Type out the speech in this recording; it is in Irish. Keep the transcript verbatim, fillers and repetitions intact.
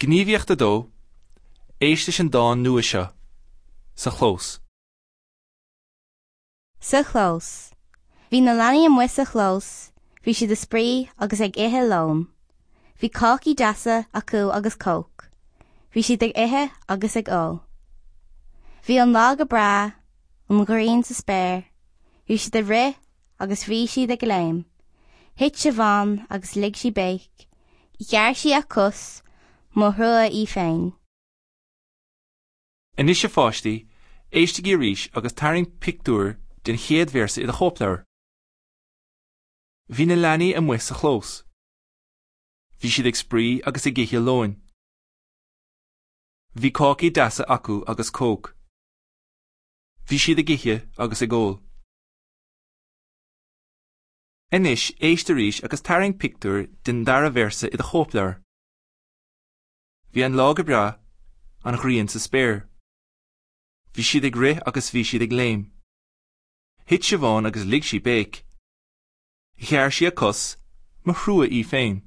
Gníomhaíocht a dó, éist leis an dán nua seo, Sa chlós. Sa chlós. Bhí na leanaí amuigh sa chlós, bhí siad ag spraoi agus ag ithe lóin. Bhí cácaí deasa acu agus Coke. Bhí siad ag ithe agus ag ól. Bhí an lá go breá, an ghrian sa spéir, bhí siad ag rith agus bhí siad ag léim. Thit Siobhán agus lig sí béic, Ghearr sí a cos, mo thrua í féin. Anois a pháistí, éistigí arís agus tarraing pictiúr den chéad véarsa i do chóipleabhar. Bhí na leanaí amuigh sa chlós. Bhí siad ag spraoi agus ag ithe lóin. Bhí cácaí deasa acu agus Coke. Bhí siad ag ithe agus ag ól. Anois éist arís agus tarraing pictiúr den dara véarsa i do chóipleabhar. Bhí an lá go breá, an ghrian sa spéir. Bhí siad ag rith agus bhí siad ag léim. Thit Siobhán agus lig sí béic. Ghearr sí a cos, mo thrua í féin.